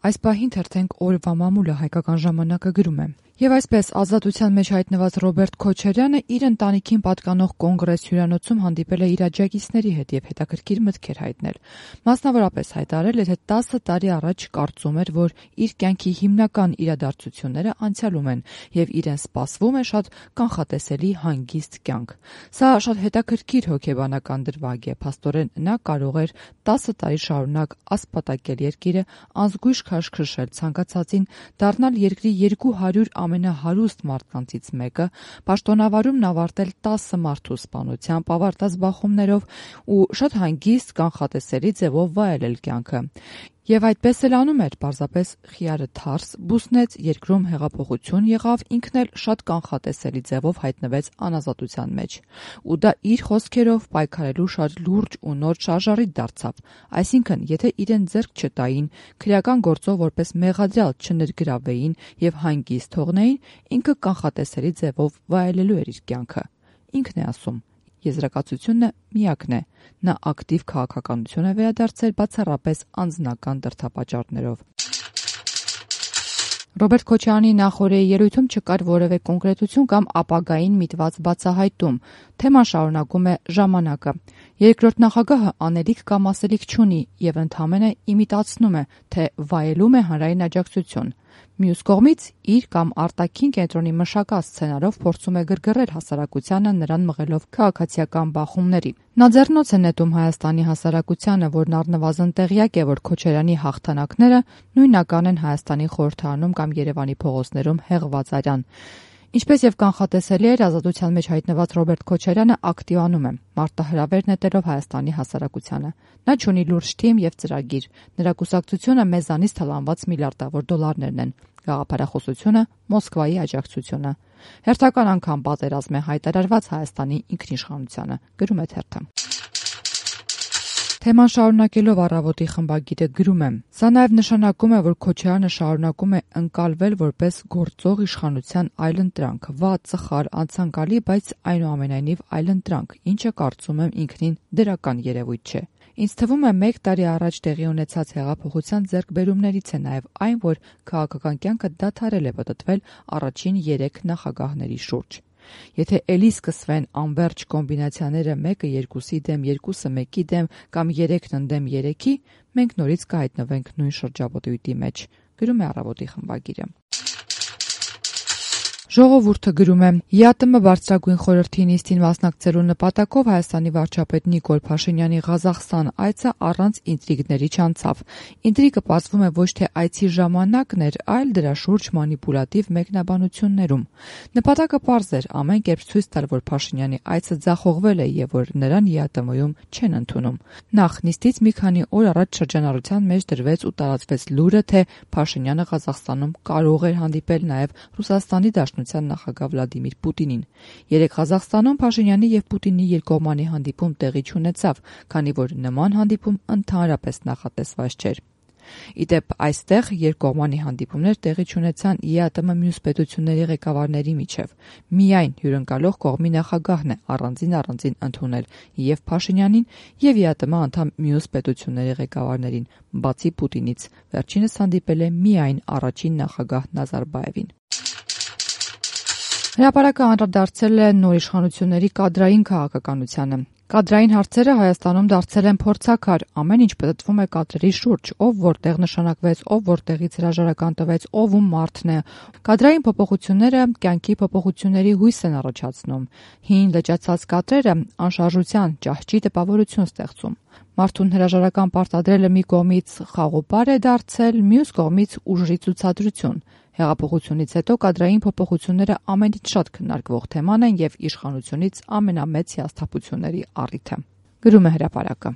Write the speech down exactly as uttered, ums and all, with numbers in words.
Այս պահին թերթենք օրվա մամուլը հայկական ժամանակը գրում է. Եվ այսպես ազատության մեջ հայտնված Ռոբերտ Քոչարյանը իր ընտանիքին պատկանող կոնգրես հյուրանոցում հանդիպել է իր աջակիցների հետ եւ հետաքրքիր մտքեր հայտնել։ Մասնավորապես հայտարարել, թե տասը տարի առաջ կարծում էր, որ իր կյանքի հիմնական իրադարձությունները անցյալում են եւ իրեն սպասվում է շատ կանխատեսելի հանգիստ կյանք։ Սա շատ հետաքրքիր հոգեբանական դրվագ է, փաստորեն նա կարող էր տասը տարի շարունակ ասպատակել երկիրը, անզգույշ քաշքշել ցանկացածին, դառնալ երկրի երկու հարյուր ամենահարուստ մարդկանցից մեկը, պաշտոնավարումն ավարտել տասը մարդու սպանությամբ, ավարտած բախումներով ու շատ հանգիստ կանխատեսելի ձևով վայելել կյանքը։ Եվ այդպես էլ անում էր, պարզապես խիարը թարս բուսնեց, երկրում հեղափոխություն եղավ, ինքն էլ շատ կանխատեսելի ձևով հայտնվեց անազատության մեջ։ Ու դա իր խոսքերով պայքարելու շատ լուրջ ու նոր շարժառիթ դարձավ։ Այսինքն, եթե իրեն ձեռք չտային, քրեական գործով որպես մեղադրյալ չներգրավեին եւ հանգիստ թողնեին, ինքը կանխատեսելի ձևով վայելելու էր իր կյանքը։ Ինքն է ասում. Եզրակացությունը միակն է։ Նա ակտիվ քաղաքականություն է վերադարձել բացառապես անձնական դրդապատճառներով։ Ռոբերտ Քոչարյանի նախօրեի ելույթում չկար որևէ կոնկրետություն կամ ապագային միտված բացահայտում։ Թեման շարունակում է «Ժամանակը»։ Երկրորդ նախագահը անելիք կամ ասելիք չունի եւ ընդամենը իմիտացնում է, թե վայելում է հանրային աջակցություն։ Մյուս կողմից իր կամ արտաքին կենտրոնի մշակած սցենարով փորձում է գրգռել հասարակությանը, նրան մղելով քաղաքացիական բախումների։ Նա ձեռնոց է նետում Հայաստանի հասարակությանը, որն առնվազն տեղյակ է, որ Քոչարյանի հաղթանակները նույնական են Հայաստանի խորհրդարանում կամ Երևանի փողոցներում հեղված արյան։ Ինչպես եւ կանխատեսելի էր, ազատության մեջ հայտնված Ռոբերտ Քոչարյանը ակտիվանում է, մարտահրավեր նետելով Հայաստանի հասարակությանը։ Նա չունի լուրջ թիմ եւ ծրագիր։ Նրա կուսակցությունը մեզանից թալանված միլիարդավոր դոլարներն են։ Գաղափարախոսությունը Մոսկվայի աջակցությունը։ Հերթական անգամ պատերազմ է հայտարարված Հայաստանի ինքնիշխանությանը, գրում է թերթը։ Թեման շարունակելով առավոտի խմբագիրը գրում է. Սա նաև նշանակում է, որ Քոչարյանը շարունակում է ընկալվել որպես գործող իշխանության այլընտրանք, վատ, ծխար, անցանկալի, բայց այնուամենայնիվ այլընտրանք, ինչը կարծում եմ ինքնին դրական երևույթ չէ։ Ինձ թվում է մեկ տարի առաջ տեղի ունեցած հեղափոխության ձեռքբերումներից է նաև այն, որ քաղաքական կյանքը դադարել է պտտվել առաջին երեք նախագահների շուրջ։ Եթե էլի սկսվեն անվերջ կոմբինացիաները մեկը երկուսի դեմ, երկուսը մեկի դեմ կամ երեքն ընդդեմ երեքի, մենք նորից կհայտնվենք նույն շրջապտույտի մեջ, գրում է Առավոտի խմբագիրը։ Ժողովուրդը գրում է. ԵԱՏՄ բարձրագույն խորհրդի նիստին մասնակցելու նպատակով Հայաստանի վարչապետ Նիկոլ Փաշինյանի Ղազախստան այցը առանց ինտրիգների չանցավ։ Ինտրիգը պարզվում է ոչ թե այցի ժամանակն էր, այլ դրա շուրջ մանիպուլատիվ մեկնաբանություններում։ Նպատակը պարզ էր ամեն կերպ ցույց տալ, որ Փաշինյանի այցը ձախողվել է եւ որ նրան ԵԱՏՄ-ում չեն ընդունում։ Նախ նիստից մի քանի օր առաջ շրջանառության մեջ դրվեց ու տարածվեց լուրը, թե Փաշինյանը Ղազախստանում կարող էր հանդիպել նաեւ Ռուսաստանի Դաշնության նախագահ Վլադիմիր Պուտինին։ Երեկ Ղազախստանում Փաշինյանի եւ Պուտինի երկկողմանի հանդիպում տեղի չունեցավ, քանի որ նման հանդիպում ընդհանրապես նախատեսված չէր։ Իդեպ այստեղ երկկողմանի հանդիպումներ տեղի չունեցան ԵԱՏՄ մյուս պետությունների ղեկավարների միջև։ Միայն հյուրընկալող կողմի նախագահն է առանձին-առանձին ընդունել եւ Փաշինյանին եւ ԵԱՏՄ անդամ մյուս պետությունների ղեկավարներին, բացի Պուտինից։ Վերջինս հանդիպել է միայն առաջին նախագահ Նազարբաևին։ Հրապարակը անդրադարձել է նոր իշխանությունների կադրային քաղաքականությանը։ Կադրային հարցերը Հայաստանում դարձել են փորձաքար, ամեն ինչ պտտվում է կադրերի շուրջ, ով որտեղ նշանակվեց, ով որտեղից հրաժարական տվեց, ով ում մարդն է։ Կադրային փոփոխությունները կյանքի փոփոխությունների հույս են առաջացնում։ Հին լճացած կադրերը անշարժության, ճահճի տպավորություն ստեղծում։ Մարդուն հրաժարական պարտադրելը մի կողմից խաղոպար է դարձել, մյուս կողմից ուժի ցուցադրություն։ Հեղափոխությունից հետո կադրային փոփոխությունները ամենից շատ քննարկվող թեման են եւ իշխանությունից ամենամեծ հիասթափությունների առիթը, գրում է Հրապարակը։